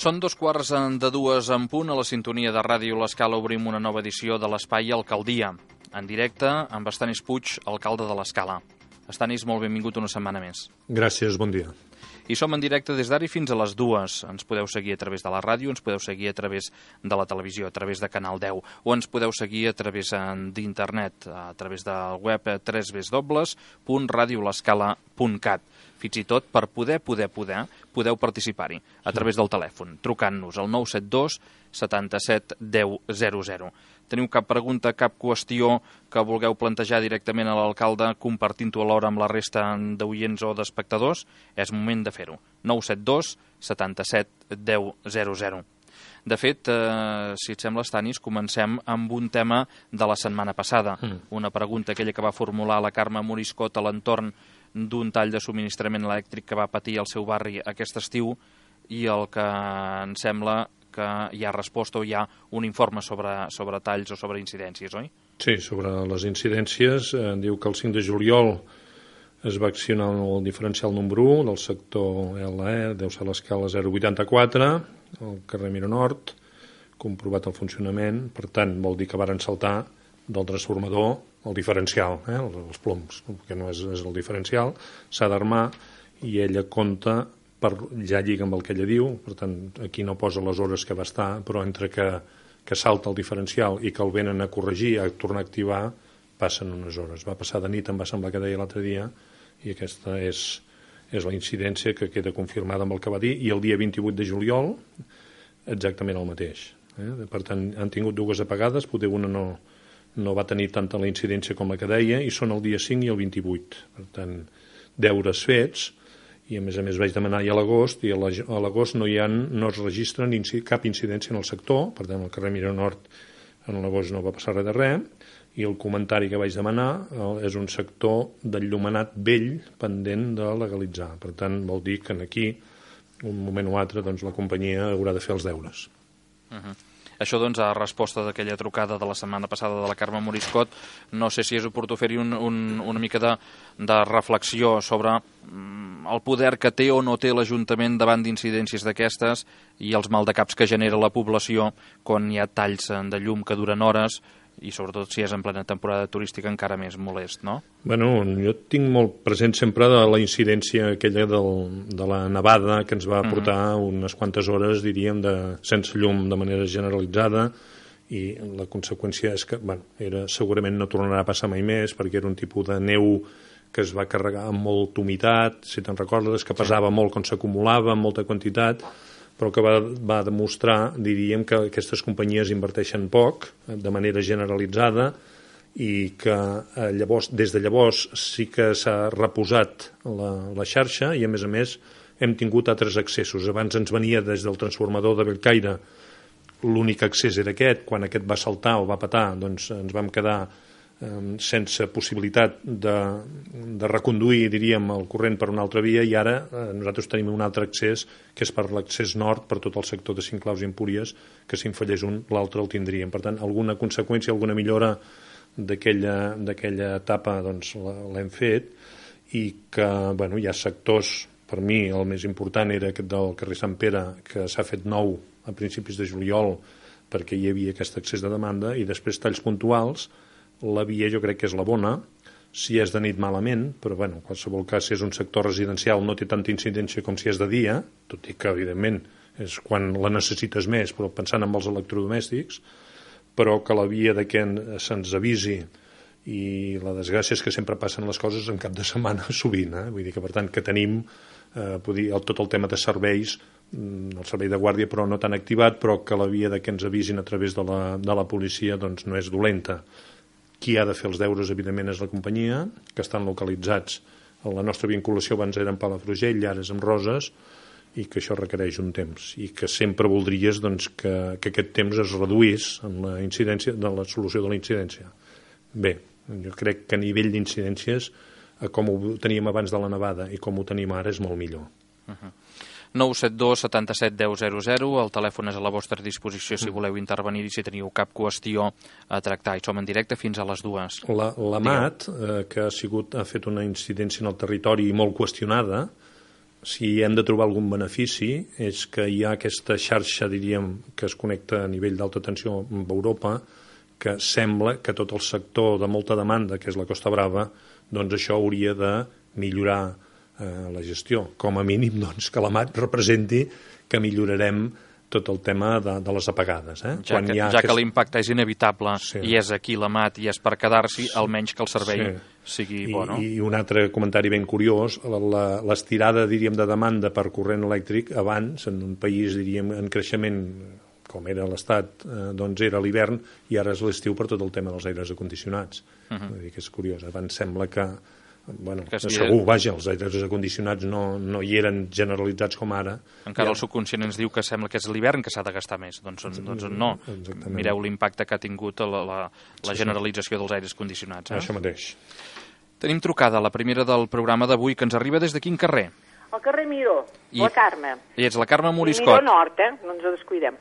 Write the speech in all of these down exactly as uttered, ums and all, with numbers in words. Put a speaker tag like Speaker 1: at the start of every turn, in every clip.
Speaker 1: Són dos quarts de dues en punt. A la sintonia de Ràdio L'Escala obrim una nova edició de l'Espai Alcaldia. En directe amb Estanis Puig, alcalde de l'Escala. Estanis, molt benvingut una setmana més.
Speaker 2: Gràcies, bon dia.
Speaker 1: I som en directe des d'ara fins a les dues. Ens podeu seguir a través de la ràdio, ens podeu seguir a través de la televisió, a través de Canal deu, o ens podeu seguir a través d'internet, a través del web w w w punt radio l'escala punt cat. Fins i tot, per poder, poder, poder, podeu participar-hi a través del telèfon, trucant-nos al nou set dos setanta-set deu zero zero. Teniu cap pregunta, cap qüestió que vulgueu plantejar directament a l'alcalde, compartint-ho alhora amb la resta d'oients o d'espectadors? És moment de fer-ho. nou set dos setanta-set deu zero zero. De fet, eh, si et sembla, Estanis, comencem amb un tema de la setmana passada. Mm. Una pregunta, aquella que va formular la Carme Moriscot a l'entorn d'un tall de subministrament elèctric que va patir al seu barri aquest estiu, i el que em sembla que hi ha resposta o hi ha un informe sobre, sobre talls o sobre incidències, oi?
Speaker 2: Sí, sobre les incidències. Eh, diu que el cinc de juliol es va accionar el diferencial número u del sector L E, deu ser l'escala zero vuitanta-quatre, al carrer Miró Nord, comprovat el funcionament. Per tant, vol dir que varen saltar del transformador el diferencial, eh, els ploms, que no és, és el diferencial, s'ha d'armar, i ella compta, per, ja lliga amb el que ella diu, per tant, aquí no posa les hores que va estar, però entre que, que salta el diferencial i que el venen a corregir, a tornar a activar, passen unes hores. Va passar de nit, em va semblar que deia l'altre dia, i aquesta és, és la incidència que queda confirmada amb el que va dir, i el dia vint-i-vuit de juliol exactament el mateix. Eh? Per tant, han tingut dues apagades, potser una no, no va tenir tanta la incidència com la que deia, i són el dia cinc i el vint-i-vuit. Per tant, deures fets, i a més a més vaig demanar ja a l'agost, i a l'agost no, hi ha, no es registra ni cap incidència en el sector. Per tant, al carrer Miró Nord en l'agost no va passar res de res, i el comentari que vaig demanar és un sector d'enllumenat vell pendent de legalitzar. Per tant, vol dir que aquí, un moment o altre, doncs, la companyia haurà de fer els deures.
Speaker 1: Uh-huh. Això, doncs, a resposta d'aquella trucada de la setmana passada de la Carme Moriscot, no sé si és oportú fer-hi un, un, una mica de, de reflexió sobre mm, el poder que té o no té l'Ajuntament davant d'incidències d'aquestes i els maldecaps que genera la població quan hi ha talls de llum que duren hores, i sobretot si és en plena temporada turística encara més molest, no?
Speaker 2: Bueno, jo tinc molt present sempre de la incidència aquella del, de la nevada que ens va portar uh-huh. unes quantes hores, diríem, de, sense llum de manera generalitzada, i la conseqüència és que, bueno, era, segurament no tornarà a passar mai més, perquè era un tipus de neu que es va carregar amb molta humitat, si te'n recordes, que pesava sí. molt quan s'acumulava, amb molta quantitat, però que va, va demostrar, diríem, que aquestes companyies inverteixen poc, de manera generalitzada, i que eh, llavors, des de llavors sí que s'ha reposat la, la xarxa, i a més a més hem tingut altres accessos. Abans ens venia des del transformador de Bellcaire, l'únic accés era aquest. Quan aquest va saltar o va petar, doncs ens vam quedar sense possibilitat de, de reconduir, diríem, el corrent per una altra via, i ara eh, nosaltres tenim un altre accés, que és per l'accés nord, per tot el sector de Cinclaus i Empúries, que si en fallés un, l'altre el tindríem. Per tant, alguna conseqüència, alguna millora d'aquella d'aquella etapa, doncs l'hem fet, i que, bueno, hi ha sectors, per mi el més important era aquest del carrer Sant Pere, que s'ha fet nou a principis de juliol, perquè hi havia aquest accés de demanda, i després talls puntuals. La via jo crec que és la bona, si és de nit malament, però bueno, en qualsevol cas, si és un sector residencial no té tanta incidència com si és de dia, tot i que evidentment és quan la necessites més, però pensant en els electrodomèstics, però que la via de que se'ns avisi, i la desgràcia és que sempre passen les coses en cap de setmana sovint, eh? Vull dir que per tant que tenim eh, dir, el, tot el tema de serveis, el servei de guàrdia però no tan activat, però que la via de que ens avisin a través de la, de la policia doncs no és dolenta. Qui ha de fer els deures, evidentment, és la companyia, que estan localitzats. La nostra vinculació abans era en Palafrugell, ara és amb Roses, i que això requereix un temps. I que sempre voldries doncs, que, que aquest temps es reduís en la incidència, de la solució de la incidència. Bé, jo crec que a nivell d'incidències, com ho teníem abans de la nevada i com ho tenim ara, és molt millor.
Speaker 1: Uh-huh. nou set dos setanta-set deu zero zero, el telèfon és a la vostra disposició si voleu intervenir i si teniu cap qüestió a tractar. I som en directe fins a les dues.
Speaker 2: La, la M A T, eh, que ha, sigut, ha fet una incidència en el territori molt qüestionada, si hem de trobar algun benefici, és que hi ha aquesta xarxa, diríem, que es connecta a nivell d'alta tensió amb Europa, que sembla que tot el sector de molta demanda, que és la Costa Brava, doncs això hauria de millorar eh, la gestió. Com a mínim, doncs, que la M A T representi que millorarem tot el tema de, de les apagades. Eh?
Speaker 1: Ja
Speaker 2: Quan
Speaker 1: que,
Speaker 2: ja
Speaker 1: ja
Speaker 2: aquest...
Speaker 1: que l'impacte és inevitable
Speaker 2: sí.
Speaker 1: i és aquí la M A T i és per quedar-s'hi,
Speaker 2: sí.
Speaker 1: almenys que el servei sí. sigui
Speaker 2: I,
Speaker 1: bo, no?
Speaker 2: I un altre comentari ben curiós, l'estirada, diríem, de demanda per corrent elèctric abans, en un país, diríem, en creixement com era l'Estat, eh, doncs era l'hivern i ara és l'estiu per tot el tema dels aires acondicionats. Uh -huh. Vull dir que és curiós. Abans sembla que bueno, que segur, de... vaja, els aires acondicionats no, no hi eren generalitzats com ara.
Speaker 1: Encara
Speaker 2: ja...
Speaker 1: el subconscient ens diu que sembla que és l'hivern que s'ha de gastar més. Doncs, doncs no. Exactament. Mireu l'impacte que ha tingut la, la, la generalització dels aires condicionats. Eh?
Speaker 2: Això mateix.
Speaker 1: Tenim trucada, la primera del programa d'avui, que ens arriba des de quin carrer?
Speaker 3: Al carrer Miró,
Speaker 1: I...
Speaker 3: la Carme.
Speaker 1: I ets la Carme Moriscot.
Speaker 3: Miró Nord, eh? No ens ho descuidem.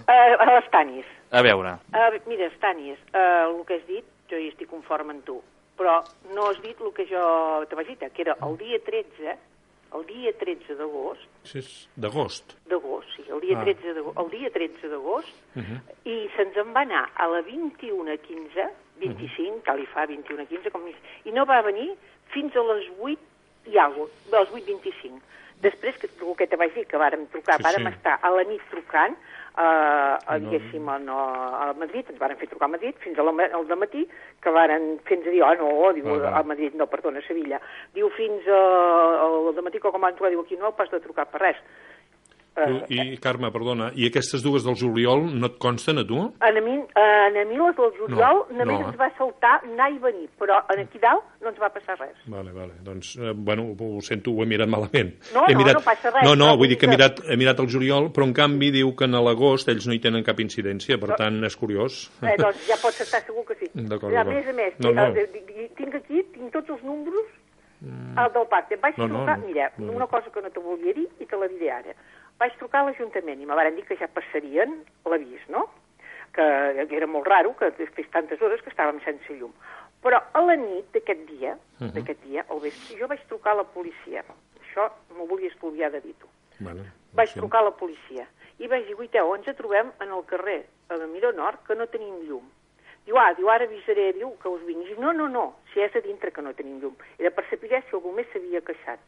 Speaker 3: Uh, a les Tanis.
Speaker 1: A veure.
Speaker 3: Uh, mira, Tanis, uh, el que has dit, jo hi estic conforme amb tu. Però no has dit el que jo te vaig dir, que era el dia tretze, el dia tretze d'agost...
Speaker 2: Sí, és d'agost.
Speaker 3: D'agost, sí, el dia, ah. tretze d'agost, el dia tretze d'agost, uh -huh. i se'ns en va anar a la vint-i-una quinze, vint-i-cinc, uh -huh. tal i fa, vint-i-una quinze, com... i no va venir fins a les vuit i alguna cosa, a les vuit vint-i-cinc. Després, que, el que te vaig dir, que vàrem trucar, sí, vàrem sí. estar a la nit trucant, Uh, a, diguéssim, a, a Madrid, ens varen fer trucar a Madrid fins al dematí, que varen fer-nos dir, oh no, diu, uh -huh. a Madrid, no, perdona, a Sevilla, diu fins uh, al dematí, com van trucar, diu, aquí no heu pas de trucar per res.
Speaker 2: Uh, I, Carme, perdona, i aquestes dues del juliol no et consten a tu?
Speaker 3: A mi, a mi les del juliol no, només no, ens va saltar anar i venir, però aquí dalt no ens va passar res.
Speaker 2: Vale, vale, doncs, eh, bueno, ho sento, ho he mirat malament.
Speaker 3: No,
Speaker 2: he
Speaker 3: no,
Speaker 2: mirat...
Speaker 3: no passa res.
Speaker 2: No, no, vull dir que he mirat, he mirat el juliol, però en canvi diu que en l'agost ells no hi tenen cap incidència, per no. tant és curiós.
Speaker 3: Eh, doncs ja pots estar segur que sí.
Speaker 2: D'acord,
Speaker 3: a més a més, no, no. tinc aquí, tinc tots els números mm. el del pacte. Vaig no, trucar, no, mira, no. una cosa que no te volia dir i te la diré ara. Vaig trucar a l'Ajuntament i me van dir que ja passarien l'avís, no? Que era molt raro, que fes tantes hores que estàvem sense llum. Però a la nit d'aquest dia, uh -huh. d'aquest dia, al vespre, jo vaig trucar a la policia. Això m'ho volia estudiar de dir-ho.
Speaker 2: Vale,
Speaker 3: vaig sí. trucar a la policia i vaig dir, guaiteu, ens trobem en el carrer, a la Miró Nord, que no tenim llum. Diu, ah, diu, ara avisaré, diu, que us vingui. Diu, no, no, no, si és a dintre que no tenim llum. Era per saber si algú més s'havia queixat.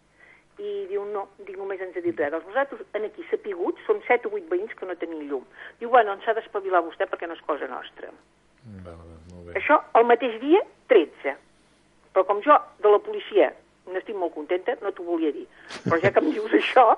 Speaker 3: I diu, no, dic, només ens ha dit res. Doncs vosaltres, aquí sapiguts, som set o vuit veïns que no tenim llum. Diu, bueno, ens ha d'espavilar vostè perquè no és cosa nostra.
Speaker 2: Bé, bé, molt bé.
Speaker 3: Això, el mateix dia, tretze. Però com jo, de la policia, n'estic molt contenta, no t'ho volia dir. Però ja que em dius això,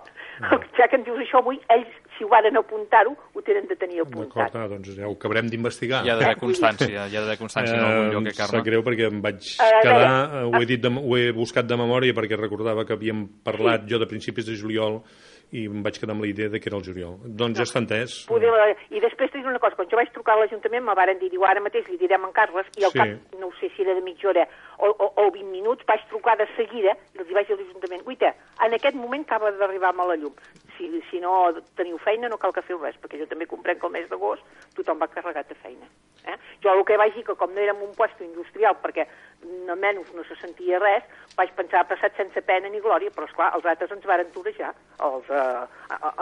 Speaker 3: ja que em dius això avui, ells, si ho varen apuntar-ho, ho tenen de tenir apuntat.
Speaker 2: D'acord, doncs ja ho acabarem d'investigar.
Speaker 1: Hi ha d'haver constància, hi ha d'haver constància en algun lloc, eh, Carme?
Speaker 2: Em sap greu perquè em vaig quedar, ho he, dit de, ho he buscat de memòria perquè recordava que havíem parlat jo de principis de juliol i em vaig quedar amb la idea de que era el juliol. Doncs ja està entès.
Speaker 3: Poder, I després t'he dit una cosa, quan jo vaig trucar a l'Ajuntament me varen dir, diu, ara mateix li direm en Carles, i al sí. cap, no sé si era de mitja hora o, o, o vint minuts, vaig trucar de seguida i els vaig dir a l'Ajuntament, uita, en aquest moment acaba d'arribar-me la llum. Si, si no teniu feina no cal que feu res, perquè jo també comprenc que el mes d'agost tothom va carregat de feina. Eh? Jo el que vaig dir que com no érem un puesto industrial, perquè almenys no se sentia res, vaig pensar, ha passat sense pena ni glòria, però esclar, els altres ens varen torejar, els eh,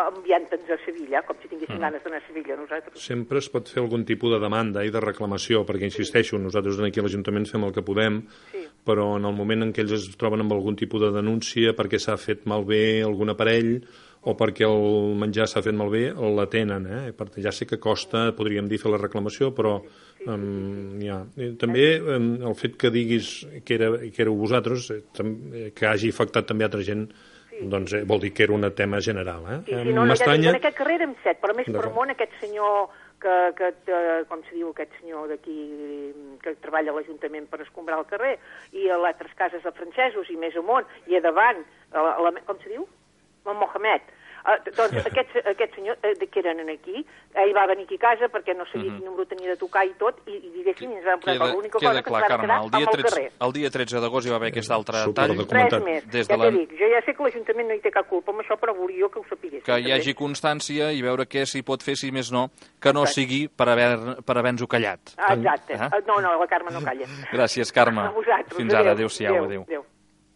Speaker 3: enviant-nos a Sevilla, com si tinguéssim mm. ganes d'anar a Sevilla nosaltres.
Speaker 2: Sempre es pot fer algun tipus de demanda i de reclamació, perquè insisteixo, nosaltres aquí a l'Ajuntament fem el que podem, sí. però en el moment en què ells es troben amb algun tipus de denúncia perquè s'ha fet malbé algun aparell o perquè el menjar s'ha fet malbé, l'atenen, eh? Perquè ja sé que costa, podríem dir, fer la reclamació, però um, ja. També um, el fet que diguis que, era, que éreu vosaltres, eh, que hagi afectat també altra gent, sí. doncs eh, vol dir que era un tema general. Eh?
Speaker 3: Sí, sí, no, no, en aquest carrer érem set, però més per món aquest senyor que, que, com se diu, aquest senyor d'aquí que treballa a l'Ajuntament per escombrar el carrer, i a altres cases de francesos, i més amunt, i a davant, a la, com se diu? El Mohamed. Uh, doncs aquest, aquest senyor eh, que eren aquí, ell va venir aquí a casa perquè no sabia quin número tenia de tocar i tot, i, i diguéssim, ens vam posar l'única cosa que ens vam quedar amb el carrer.
Speaker 1: El dia tretze d'agost hi va haver aquest altre
Speaker 2: tall.
Speaker 3: Res més, ja t'he dit, jo ja sé que l'Ajuntament no hi té cap culpa amb això, però volia jo que ho sapigués.
Speaker 1: Que hi hagi constància i veure què s'hi pot fer, si més no, que no sigui per haver-nos-ho callat.
Speaker 3: Exacte. No, no, la Carme no calla.
Speaker 1: Gràcies, Carme.
Speaker 3: A vosaltres.
Speaker 1: Fins ara, adéu-siau, adéu.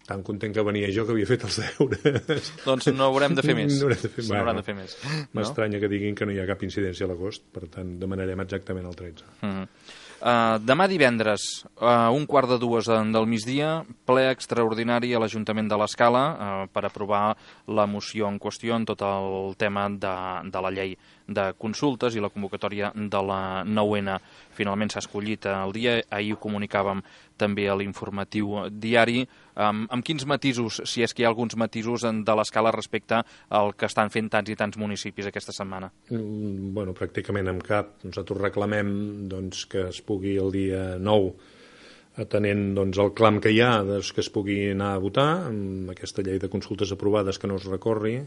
Speaker 2: tan content que venia jo que havia fet els deures.
Speaker 1: Doncs no haurem de fer més.
Speaker 2: No haurem de fer,
Speaker 1: no haurem de fer més.
Speaker 2: M'estranya no? que diguin que no hi ha cap incidència a l'agost, per tant, demanarem exactament el tretze.
Speaker 1: Mm-hmm. Uh, demà divendres, uh, un quart de dues del migdia, ple extraordinari a l'Ajuntament de l'Escala uh, per aprovar la moció en qüestió en tot el tema de, de la llei de consultes i la convocatòria de la nou ena. Finalment s'ha escollit el dia, ahir ho comunicàvem també a l'informatiu diari. Um, amb quins matisos, si és que hi ha alguns matisos de l'Escala respecte al que estan fent tants i tants municipis aquesta setmana?
Speaker 2: Mm, bueno, pràcticament amb cap. Nosaltres reclamem doncs, que es pugui el dia nou, atenent doncs, el clam que hi ha, doncs, que es pugui anar a votar amb aquesta llei de consultes aprovades que no es recorri,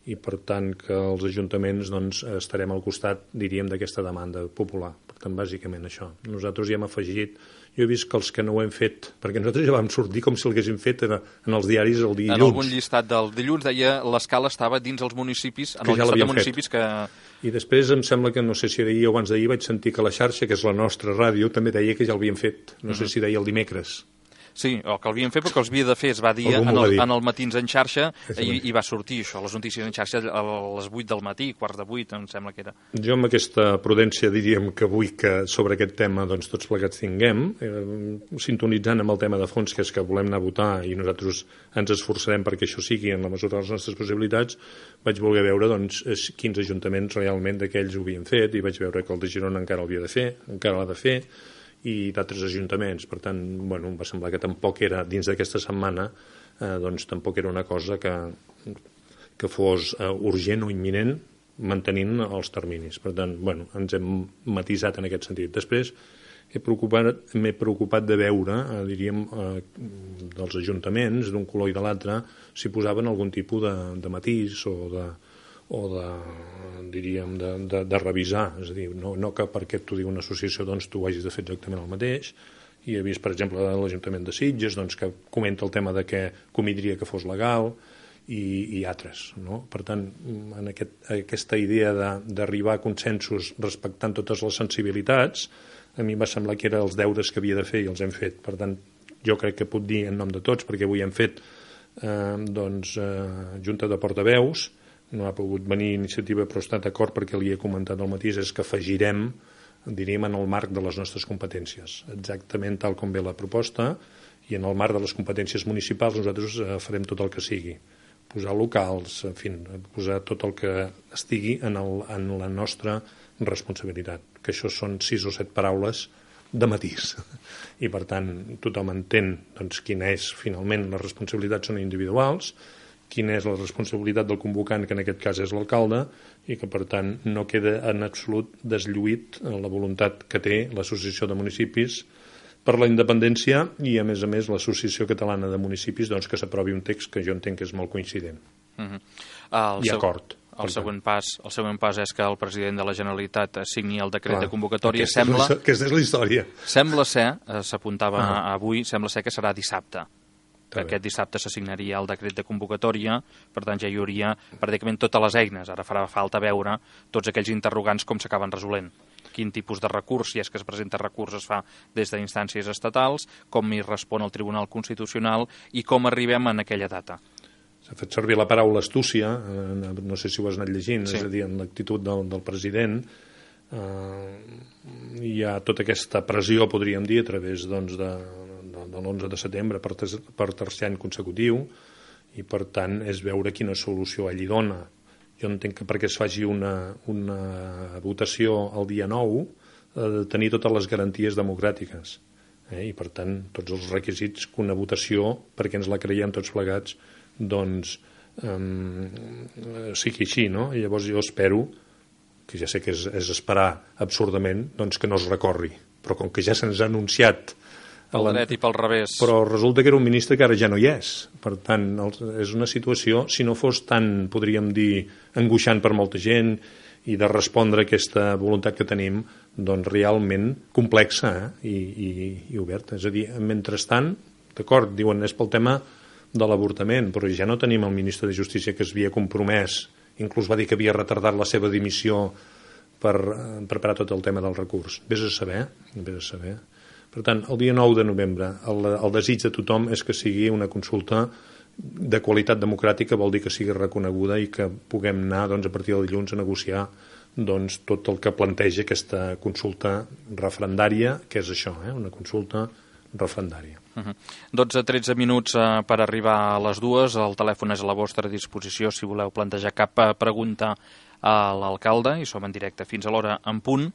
Speaker 2: i per tant que els ajuntaments doncs, estarem al costat, diríem, d'aquesta demanda popular. Per tant, bàsicament això. Nosaltres ja hem afegit, jo he vist que els que no ho hem fet, perquè nosaltres ja vam sortir com si l'haguéssim fet en, en els diaris el dilluns.
Speaker 1: En algun llistat del dilluns deia l'Escala estava dins els municipis, en el
Speaker 2: ja
Speaker 1: llistat de municipis fet. que...
Speaker 2: I després em sembla que, no sé si d'ahir o abans d'ahir, vaig sentir que la xarxa, que és la nostra ràdio, també deia que ja l'havien fet. No uh-huh. sé si deia el dimecres.
Speaker 1: Sí, o que l'havien fet perquè els havia de fer, es va dir en el, en el Matins en xarxa i, i va sortir això, les notícies en xarxa a les vuit del matí, quarts de vuit, em sembla que era.
Speaker 2: Jo amb aquesta prudència diríem que vull que sobre aquest tema doncs, tots plegats tinguem, eh, sintonitzant amb el tema de fons, que és que volem anar a votar i nosaltres ens esforçarem perquè això sigui en la mesura de les nostres possibilitats, vaig voler veure doncs, quins ajuntaments realment d'aquells ho havien fet i vaig veure que el de Girona encara l'havia de fer, encara l'ha de fer, i d'altres ajuntaments. Per tant, bueno, em va semblar que tampoc era, dins d'aquesta setmana, eh, doncs tampoc era una cosa que, que fos eh, urgent o imminent, mantenint els terminis. Per tant, bueno, ens hem matisat en aquest sentit. Després, he preocupat, m'he preocupat de veure, eh, diríem, eh, dels ajuntaments, d'un color i de l'altre, si posaven algun tipus de, de matís o de o de, diríem, de, de, de revisar, és a dir, no, no que perquè t'ho digui una associació doncs tu hagis de fer exactament el mateix, i he vist, per exemple, l'Ajuntament de Sitges doncs, que comenta el tema de que convindria que fos legal, i, i altres, no? Per tant, en aquest, aquesta idea d'arribar a consensos respectant totes les sensibilitats, a mi em va semblar que eren els deures que havia de fer i els hem fet. Per tant, jo crec que puc dir en nom de tots, perquè avui hem fet eh, doncs, eh, junta de portaveus, no ha pogut venir iniciativa però està d'acord perquè li he comentat al matí, és que afegirem, diríem, en el marc de les nostres competències, exactament tal com ve la proposta, i en el marc de les competències municipals nosaltres farem tot el que sigui, posar locals, en fi, posar tot el que estigui en, el, en la nostra responsabilitat, que això són sis o set paraules de matís, i per tant tothom entén doncs, quina és finalment, les responsabilitats són individuals, quina és la responsabilitat del convocant, que en aquest cas és l'alcalde, i que per tant no queda en absolut deslluït la voluntat que té l'Associació de Municipis per la independència i a més a més l'Associació Catalana de Municipis doncs, que s'aprovi un text que jo entenc que és molt coincident.
Speaker 1: Uh-huh. I
Speaker 2: seu... acord.
Speaker 1: El següent, pas, el següent pas és que el president de la Generalitat signi el decret
Speaker 2: Clar,
Speaker 1: de convocatòria.
Speaker 2: Aquesta,
Speaker 1: sembla,
Speaker 2: és aquesta és la història.
Speaker 1: Sembla ser, s'apuntava ah. avui, sembla ser que serà dissabte.
Speaker 2: Que
Speaker 1: aquest dissabte s'assignaria el decret de convocatòria, per tant ja hi hauria pràcticament totes les eines. Ara farà falta veure tots aquells interrogants com s'acaben resolent. Quin tipus de recurs, si és que es presenta recurs, es fa des d'instàncies estatals, com hi respon el Tribunal Constitucional i com arribem en aquella data.
Speaker 2: S'ha fet servir la paraula astúcia, no sé si ho has anat llegint,
Speaker 1: sí.
Speaker 2: És a dir, en l'actitud del, del president, eh, hi ha tota aquesta pressió, podríem dir, a través doncs, de, de, de l'onze de setembre per, ter, per tercer any consecutiu, i per tant és veure quina solució ell hi dona. Jo entenc que perquè es faci una, una votació el dia nou ha de tenir totes les garanties democràtiques, eh? I per tant tots els requisits que una votació, perquè ens la creiem tots plegats, doncs um, sigui així, no? I llavors jo espero, que ja sé que és, és esperar absurdament, doncs que no es recorri, però com que ja se'ns ha anunciat
Speaker 1: pel dret i pel revés,
Speaker 2: però resulta que era un ministre que ara ja no hi és, per tant és una situació, si no fos tan, podríem dir, angoixant per molta gent i de respondre a aquesta voluntat que tenim, doncs realment complexa, eh? I, i, i oberta, és a dir, mentrestant, d'acord, diuen és pel tema de l'avortament, però ja no tenim el ministre de Justícia que es havia compromès, inclús va dir que havia retardat la seva dimissió per preparar tot el tema del recurs. Vés a saber, vés a saber. Per Per tant, el dia nou de novembre, el, el desig de tothom és que sigui una consulta de qualitat democràtica, vol dir que sigui reconeguda i que puguem anar doncs, a partir del dilluns a negociar doncs, tot el que planteja aquesta consulta referendària, que és això, eh? Una consulta referendària.
Speaker 1: Uh-huh. dotze a tretze minuts uh, per arribar a les dues. El telèfon és a la vostra disposició si voleu plantejar cap uh, pregunta a l'alcalde, i som en directe fins a l'hora en punt.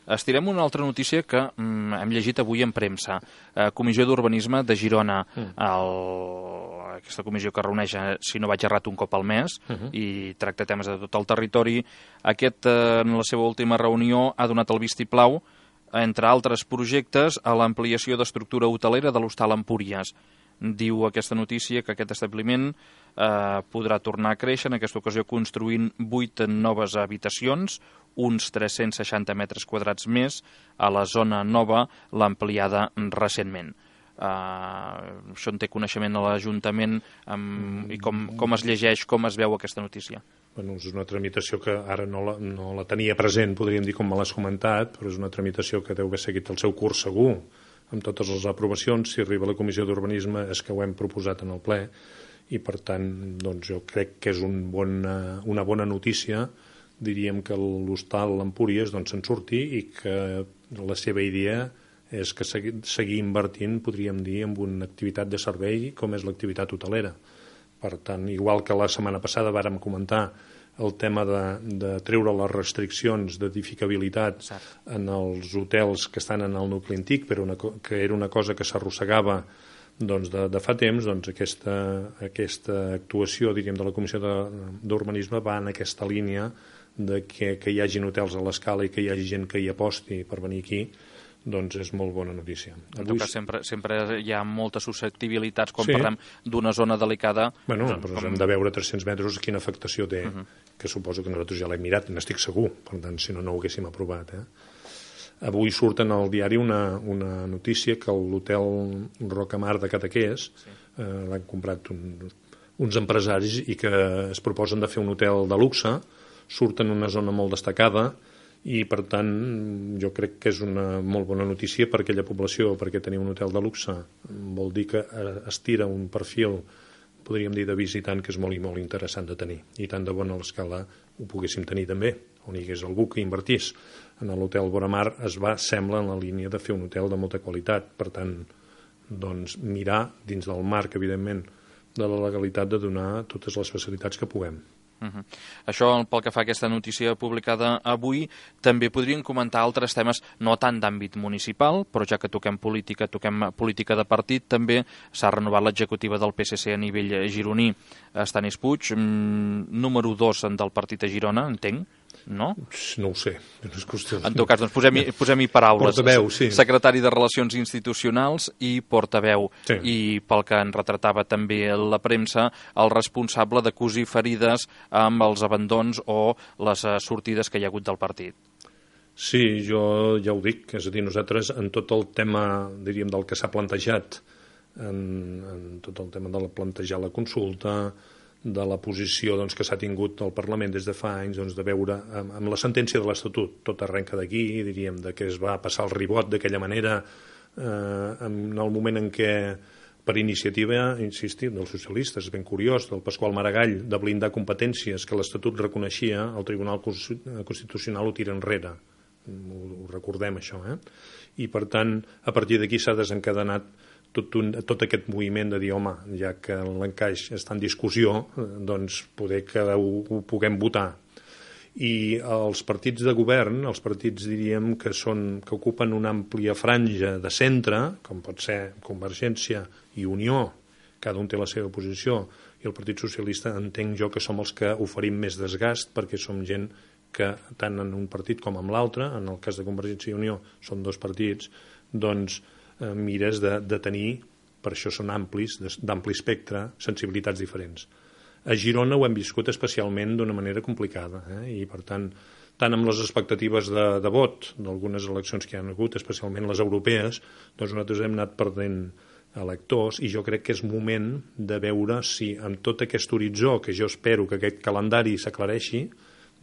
Speaker 1: Estirem una altra notícia que mm, hem llegit avui en premsa. Uh, Comissió d'Urbanisme de Girona, mm. el, aquesta comissió que reuneix, si no vaig errat, un cop al mes, uh-huh. i tracta temes de tot el territori. Aquest, uh, en la seva última reunió, ha donat el vistiplau, entre altres projectes, a l'ampliació d'estructura hotelera de l'Hostal Empúries. Diu aquesta notícia que aquest establiment eh, podrà tornar a créixer, en aquesta ocasió construint vuit noves habitacions, uns tres-cents seixanta metres quadrats més, a la zona nova, l'ampliada recentment. Uh, això en té coneixement a l'Ajuntament, um, i com, com es llegeix, com es veu aquesta notícia?
Speaker 2: Bueno, és una tramitació que ara no la, no la tenia present, podríem dir, com me l'has comentat, però és una tramitació que deu haver seguit el seu curs segur, amb totes les aprovacions. Si arriba a la Comissió d'Urbanisme és que ho hem proposat en el ple, i per tant doncs, jo crec que és un bon, una bona notícia, diríem que l'Hostal Empúries doncs, se'n surti i que la seva idea és que segui, seguir invertint, podríem dir, en una activitat de servei com és l'activitat hotelera. Per tant, igual que la setmana passada vàrem comentar el tema de, de treure les restriccions d'edificabilitat en els hotels que estan en el nucli antic, però una, que era una cosa que s'arrossegava doncs, de, de fa temps, doncs aquesta, aquesta actuació, diríem, de la Comissió d'Urbanisme va en aquesta línia de que, que hi hagin hotels a l'escala i que hi hagi gent que hi aposti per venir aquí, doncs és molt bona notícia.
Speaker 1: En tot cas, sempre, sempre hi ha moltes susceptibilitats quan sí. parlem d'una zona delicada.
Speaker 2: Bueno, doncs, però com... hem de veure tres-cents metres quina afectació té, uh-huh. que suposo que nosaltres ja l'hem mirat, n'estic segur, per tant, si no, no ho haguéssim aprovat. Eh? Avui surt en el diari una, una notícia que l'hotel Rocamar de Cadaqués sí. eh, l'han comprat un, uns empresaris i que es proposen de fer un hotel de luxe, surt en una zona molt destacada, i per tant jo crec que és una molt bona notícia per aquella població, perquè tenir un hotel de luxe vol dir que es tira un perfil, podríem dir, de visitant que és molt i molt interessant de tenir, i tant de bona a l'escala ho poguéssim tenir també, on hi hagués algú que invertís. En l'hotel Boramar es va, sembla, en la línia de fer un hotel de molta qualitat, per tant doncs mirar dins del marc, evidentment, de la legalitat, de donar totes les facilitats que puguem.
Speaker 1: Uh-huh. Això pel que fa a aquesta notícia publicada avui. També podríem comentar altres temes no tant d'àmbit municipal, però ja que toquem política, toquem política de partit, també s'ha renovat l'executiva del P S C a nivell gironí. Estanis Puig, número dos del partit a Girona, entenc, no?
Speaker 2: No ho sé. No és qüestió...
Speaker 1: En tot cas, doncs posem-hi posem paraules.
Speaker 2: Portaveu, sí.
Speaker 1: Secretari de Relacions Institucionals i portaveu. Sí. I pel que en retratava també la premsa, el responsable de cosir ferides amb els abandons o les sortides que hi ha hagut del partit.
Speaker 2: Sí, jo ja ho dic, és a dir, nosaltres en tot el tema, diríem, del que s'ha plantejat, en, en tot el tema de la plantejar la consulta, de la posició doncs, que s'ha tingut al Parlament des de fa anys, doncs, de veure amb, amb la sentència de l'Estatut, tot arrenca d'aquí, diríem, de que es va passar el ribot d'aquella manera, eh, en el moment en què per iniciativa, insistir, dels socialistes, és ben curiós, del Pasqual Maragall, de blindar competències que l'Estatut reconeixia, el Tribunal Constitucional ho tira enrere. Ho, ho recordem, això. Eh? I, per tant, a partir d'aquí s'ha desencadenat tot, un, tot aquest moviment de dir, home, ja que l'encaix està en discussió, doncs poder que ho, ho puguem votar. I els partits de govern, els partits, diríem, que, són, que ocupen una àmplia franja de centre, com pot ser Convergència i Unió, cada un té la seva posició, i el Partit Socialista entenc jo que som els que oferim més desgast, perquè som gent que tant en un partit com en l'altre, en el cas de Convergència i Unió són dos partits, doncs eh, mires de, de tenir, per això són amplis, d'ampli espectre, sensibilitats diferents. A Girona ho hem viscut especialment d'una manera complicada, eh? I per tant, tant amb les expectatives de, de vot d'algunes eleccions que hi ha hagut, especialment les europees, doncs nosaltres hem anat perdent electors, i jo crec que és moment de veure si amb tot aquest horitzó, que jo espero que aquest calendari s'aclareixi,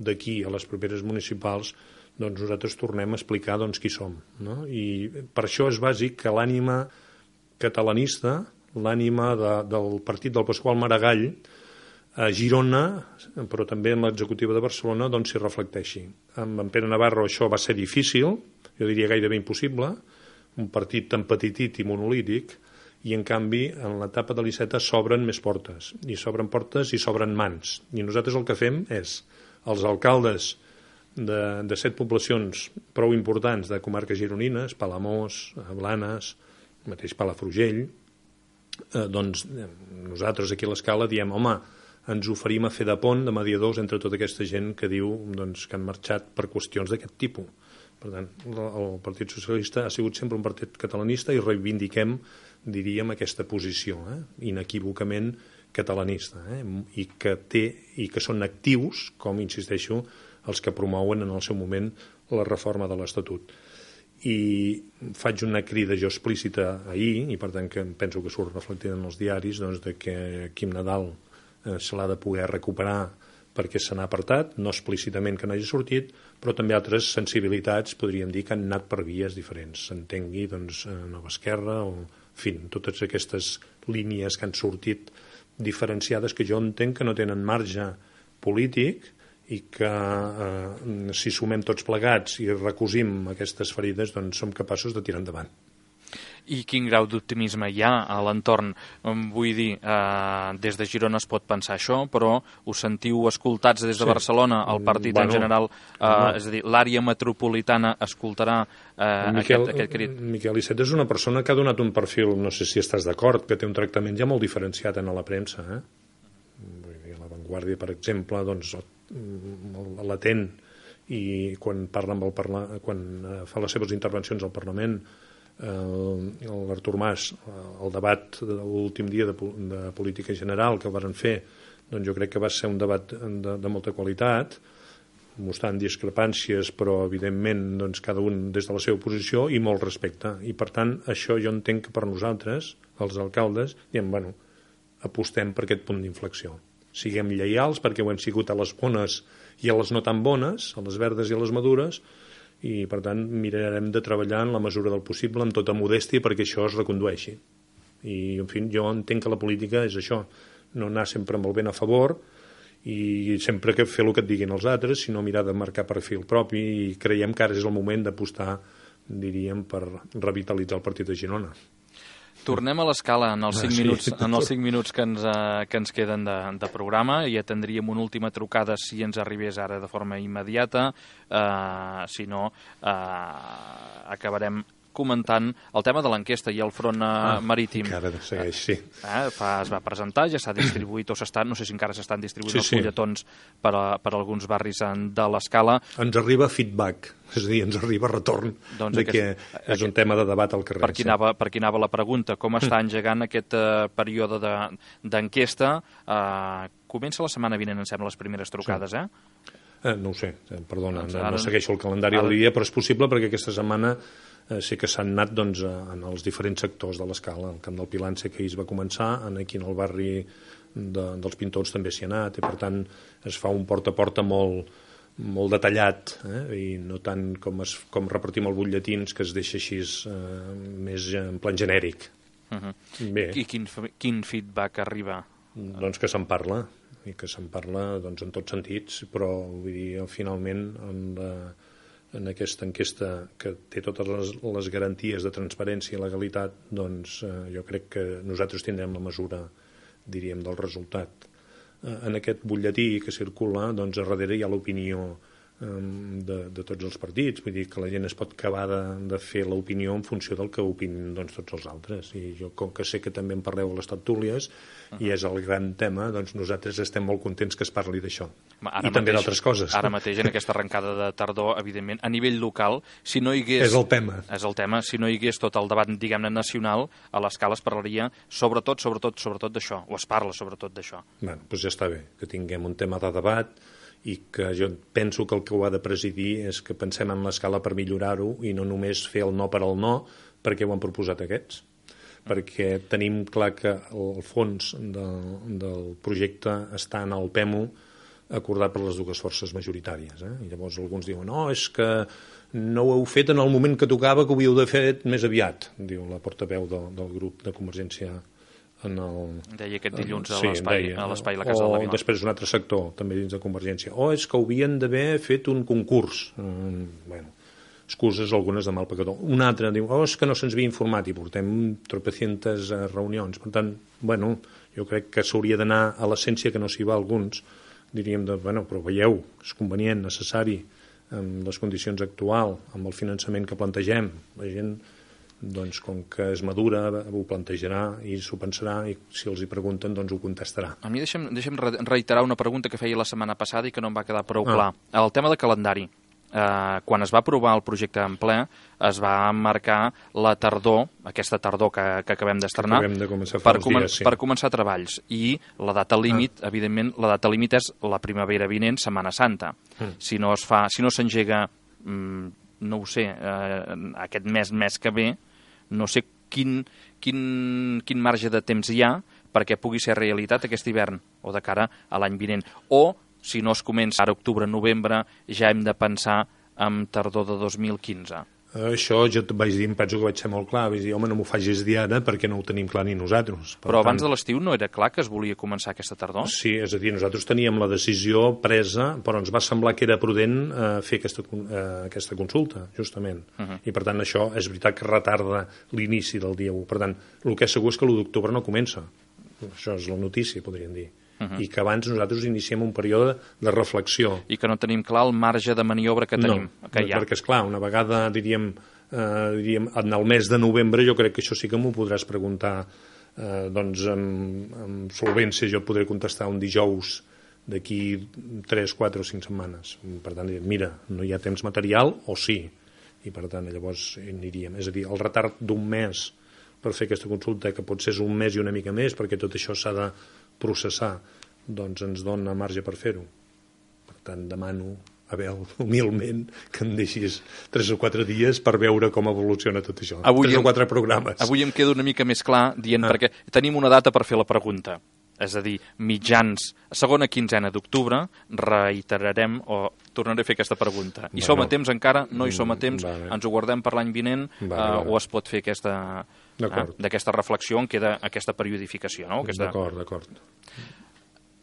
Speaker 2: d'aquí a les properes municipals, doncs nosaltres tornem a explicar doncs, qui som. No? I per això és bàsic que l'ànima catalanista, l'ànima de, del partit del Pasqual Maragall, a Girona, però també en l'executiva de Barcelona, doncs s'hi reflecteixi. Amb en Pere Navarro això va ser difícil, jo diria gairebé impossible, un partit tan petitit i monolític, i en canvi en l'etapa de l'Iceta s'obren més portes, i s'obren portes i s'obren mans. I nosaltres el que fem és, els alcaldes de, de set poblacions prou importants de comarques gironines, Palamós, Blanes, mateix Palafrugell, eh, doncs nosaltres aquí a l'Escala diem, home, ens oferim a fer de pont, de mediadors entre tota aquesta gent que diu doncs, que han marxat per qüestions d'aquest tipus. Per tant, el Partit Socialista ha sigut sempre un partit catalanista i reivindiquem, diríem, aquesta posició, eh? inequívocament catalanista, eh? I, que té, i que són actius, com insisteixo, els que promouen en el seu moment la reforma de l'Estatut. I faig una crida jo explícita ahir, i per tant que penso que surt reflectida en els diaris, doncs, de que Quim Nadal eh, se l'ha de poder recuperar perquè se n'ha apartat, no explícitament que n'hagi sortit, però també altres sensibilitats, podríem dir, que han anat per vies diferents. S'entengui, doncs, Nova Esquerra, o, en fi, totes aquestes línies que han sortit diferenciades que jo entenc que no tenen marge polític i que eh, si sumem tots plegats i recosim aquestes ferides, doncs som capaços de tirar endavant.
Speaker 1: I quin grau d'optimisme hi ha a l'entorn? Vull dir, eh, des de Girona es pot pensar això, però us sentiu escoltats des de sí. Barcelona, el partit bueno, en general, eh, no. és a dir, l'àrea metropolitana escoltarà eh,
Speaker 2: Miquel,
Speaker 1: aquest, aquest crit?
Speaker 2: Miquel Iceta és una persona que ha donat un perfil, no sé si estàs d'acord, que té un tractament ja molt diferenciat en la premsa. Eh? Vull dir, a La Vanguardia, per exemple, doncs, l'atent i quan parla amb el parla, quan fa les seves intervencions al Parlament, l'Artur Mas, el debat de l'últim dia de, de política general que varen fer, doncs jo crec que va ser un debat de, de molta qualitat, mostrant discrepàncies, però evidentment doncs, cada un des de la seva posició i molt respecte. I per tant, això jo entenc que per nosaltres, els alcaldes, diem, bueno, apostem per aquest punt d'inflexió. Siguem lleials perquè ho hem sigut a les bones i a les no tan bones, a les verdes i a les madures, i per tant mirarem de treballar en la mesura del possible amb tota modèstia perquè això es recondueixi. I en fi, jo entenc que la política és això, no anar sempre amb el vent a favor i sempre que fer el que et diguin els altres, sinó mirar de marcar perfil propi, i creiem que ara és el moment d'apostar, diríem, per revitalitzar el partit de Girona.
Speaker 1: Tornem a l'Escala en els cinc,
Speaker 2: ah, sí.
Speaker 1: minuts, en els cinc minuts que ens, uh, que ens queden de, de programa, i atendríem una última trucada si ens arribés ara de forma immediata, uh, si no uh, acabarem comentant el tema de l'enquesta i el front ah, marítim.
Speaker 2: Encara segueix, sí.
Speaker 1: Eh, fa, es va presentar, ja s'ha distribuït, o s'estan, no sé si encara s'estan distribuint sí, els sí. fulletons per, a, per a alguns barris de l'Escala.
Speaker 2: Ens arriba feedback, és a dir, ens arriba retorn doncs de aquest, que és aquest, un tema de debat al carrer.
Speaker 1: Per qui, anava, per qui anava la pregunta, com està engegant aquest uh, període d'enquesta? De, uh, comença la setmana vinent, em sembla, les primeres trucades, sí. eh?
Speaker 2: eh? No ho sé, perdona, doncs no, no segueixo el calendari ara, del dia, però és possible perquè aquesta setmana sí que s'han anat doncs, en els diferents sectors de l'Escala. El Camp del Pilar sé que ahir es va començar, aquí en el barri de, dels Pintors també s'hi ha anat, i per tant es fa un porta a porta molt, molt detallat, eh? I no tant com, es, com repartim els butlletins, que es deixa així eh, més en plan genèric.
Speaker 1: Uh-huh. Bé. I quin, quin feedback arriba?
Speaker 2: Doncs que se'n parla, i que se'n parla doncs, en tots sentits, però vull dir, finalment en la en aquesta enquesta que té totes les, les garanties de transparència i legalitat, doncs eh, jo crec que nosaltres tindrem la mesura, diríem, del resultat. Eh, en aquest butlletí que circula, doncs a darrere hi ha l'opinió eh, de, de tots els partits, vull dir que la gent es pot acabar de, de fer l'opinió en funció del que opinen doncs, tots els altres. I jo, com que sé que també en parleu a les tertúlies, uh-huh. i és el gran tema, doncs nosaltres estem molt contents que es parli d'això. I també d'altres coses.
Speaker 1: Ara mateix, en aquesta arrencada de tardor, evidentment, a nivell local, si no hi hagués...
Speaker 2: És el tema.
Speaker 1: És el tema. Si no hi hagués tot el debat, diguem-ne, nacional, a l'Escala es parlaria sobretot, sobretot, sobretot d'això, o es parla sobretot d'això.
Speaker 2: Bé, doncs ja està bé, que tinguem un tema de debat i que jo penso que el que ho ha de presidir és que pensem en l'Escala per millorar-ho i no només fer el no per al no, perquè ho han proposat aquests. Perquè tenim clar que el fons de, del projecte està en el P E M U, acordat per les dues forces majoritàries. Eh? I llavors alguns diuen, no, és que no ho heu fet en el moment que tocava, que ho havíeu de fer més aviat, diu la portaveu del, del grup de Convergència en el...
Speaker 1: Deia aquest dilluns a
Speaker 2: sí,
Speaker 1: l'espai
Speaker 2: deia,
Speaker 1: a l'espai La Casa
Speaker 2: o
Speaker 1: de la Vila.
Speaker 2: Després un altre sector, també dins de Convergència. O és que haurien d'haver fet un concurs. Mm, bueno, excuses algunes de mal pecador. Un altre diu, oh, és que no se'ns havia informat i portem tropecientes reunions. Per tant, bueno, jo crec que s'hauria d'anar a l'essència, que no s'hi va alguns, diríem, de, bueno, però veieu, és convenient, necessari, amb les condicions actuals, amb el finançament que plantegem. La gent, doncs, com que és madura, ho plantejarà i s'ho pensarà, i si els hi pregunten, doncs ho contestarà.
Speaker 1: A mi deixem, deixem reiterar una pregunta que feia la setmana passada i que no em va quedar prou
Speaker 2: ah.
Speaker 1: clar. El tema de calendari. Eh, quan es va aprovar el projecte en ple, es va marcar la tardor, aquesta tardor que, que acabem d'estrenar,
Speaker 2: de
Speaker 1: per, comen
Speaker 2: dies, sí.
Speaker 1: per començar treballs. I la data límit, ah. evidentment, la data límit és la primavera vinent, Setmana Santa. Mm. Si no es fa, si no s'engega, mm, no ho sé, eh, aquest mes, mes que ve, no sé quin, quin, quin marge de temps hi ha perquè pugui ser realitat aquest hivern o de cara a l'any vinent. O, si no es comença ara octubre, novembre, ja hem de pensar en tardor de dos mil quinze.
Speaker 2: Això jo et vaig dir, em penso que vaig ser molt clar, vaig dir, home, no m'ho facis dir ara perquè no ho tenim clar ni nosaltres. Per
Speaker 1: Però
Speaker 2: tant,
Speaker 1: abans de l'estiu no era clar que es volia començar aquesta tardor?
Speaker 2: Sí, és a dir, nosaltres teníem la decisió presa, però ens va semblar que era prudent eh, fer aquesta, eh, aquesta consulta, justament. Uh -huh. I per tant això és veritat que retarda l'inici del dia u. Per tant, el que és segur és que l'u d'octubre no comença. Això és la notícia, podríem dir. Uh -huh. I que abans nosaltres iniciem un període de reflexió.
Speaker 1: I que no tenim clar el marge de maniobra que tenim,
Speaker 2: no,
Speaker 1: que hi ha.
Speaker 2: Perquè, esclar, una vegada, diríem, eh, diríem, en el mes de novembre, jo crec que això sí que m'ho podràs preguntar, eh, doncs, amb, amb solvència. Jo podré contestar un dijous d'aquí tres, quatre o cinc setmanes. Per tant, mira, no hi ha temps material, o sí. I, per tant, llavors aniríem. És a dir, el retard d'un mes per fer aquesta consulta, que potser és un mes i una mica més, perquè tot això s'ha de processar, doncs ens dona marge per fer-ho. Per tant, demano, Abel, humilment, que em deixis tres o quatre dies per veure com evoluciona tot això.
Speaker 1: Avui
Speaker 2: tres
Speaker 1: em,
Speaker 2: o quatre programes.
Speaker 1: Avui em quedo una mica més clar dient, ah. perquè tenim una data per fer la pregunta. És a dir, mitjans, segona quinzena d'octubre, reiterarem o tornaré a fer aquesta pregunta. Hi bueno, som a temps encara? No hi som a temps? Vale. Ens ho guardem per l'any vinent? Vale, uh, vale. O es pot fer aquesta... d'aquesta reflexió on queda aquesta periodificació, no? Aquesta...
Speaker 2: D'acord, d'acord.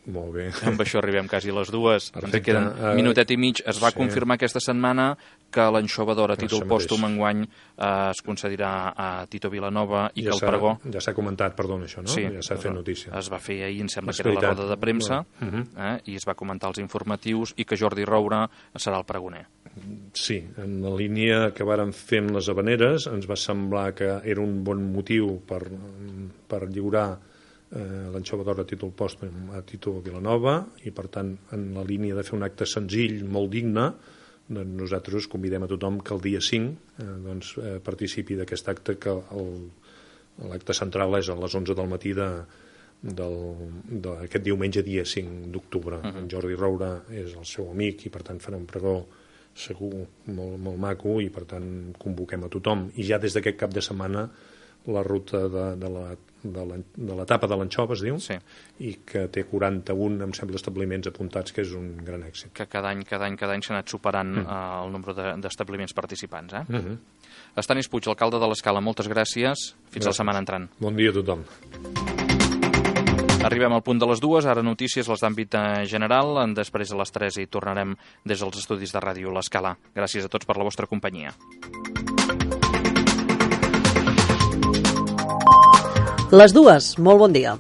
Speaker 2: Molt bé.
Speaker 1: Amb això arribem quasi a les dues. Perfecte. Ens queden uh, minutet i mig. Es va sí. confirmar aquesta setmana que l'Anxova d'Or a títol pòstum enguany eh, es concedirà a Tito Vilanova i
Speaker 2: ja
Speaker 1: que el pregó...
Speaker 2: Ja s'ha comentat, perdona, això, no?
Speaker 1: Sí,
Speaker 2: ja s'ha fet notícia.
Speaker 1: Es va fer ahir, em sembla que era la roda de premsa, uh -huh. eh, i es va comentar els informatius i que Jordi Roura serà el pregoner.
Speaker 2: Sí, en la línia que vàrem fer amb les Havaneres ens va semblar que era un bon motiu per, per lliurar eh, l'Anxova d'Or a títol pòstum a Tito Vilanova, i per tant en la línia de fer un acte senzill, molt digne, doncs nosaltres convidem a tothom que el dia cinc eh, doncs, eh, participi d'aquest acte, que l'acte central és a les onze del matí de, d'aquest diumenge dia cinc d'octubre. Uh -huh. En Jordi Roura és el seu amic i per tant farà un pregó segur molt, molt maco, i per tant convoquem a tothom. I ja des d'aquest cap de setmana la ruta de, de la de l'etapa de l'Anxova, es diu,
Speaker 1: sí.
Speaker 2: i que té quaranta-un, em sembla, establiments apuntats, que és un gran èxit.
Speaker 1: Que cada any, cada any, cada any s'ha anat superant mm. uh, el nombre d'establiments participants. Eh?
Speaker 2: Mm -hmm.
Speaker 1: Estanis Puig, alcalde de l'Escala, moltes gràcies. Fins gràcies. La setmana entrant.
Speaker 2: Bon dia a tothom.
Speaker 1: Arribem al punt de les dues, ara notícies, les d'àmbit general, després a les tres hi tornarem des dels estudis de ràdio l'Escala. Gràcies a tots per la vostra companyia.
Speaker 4: Les dues, molt bon dia.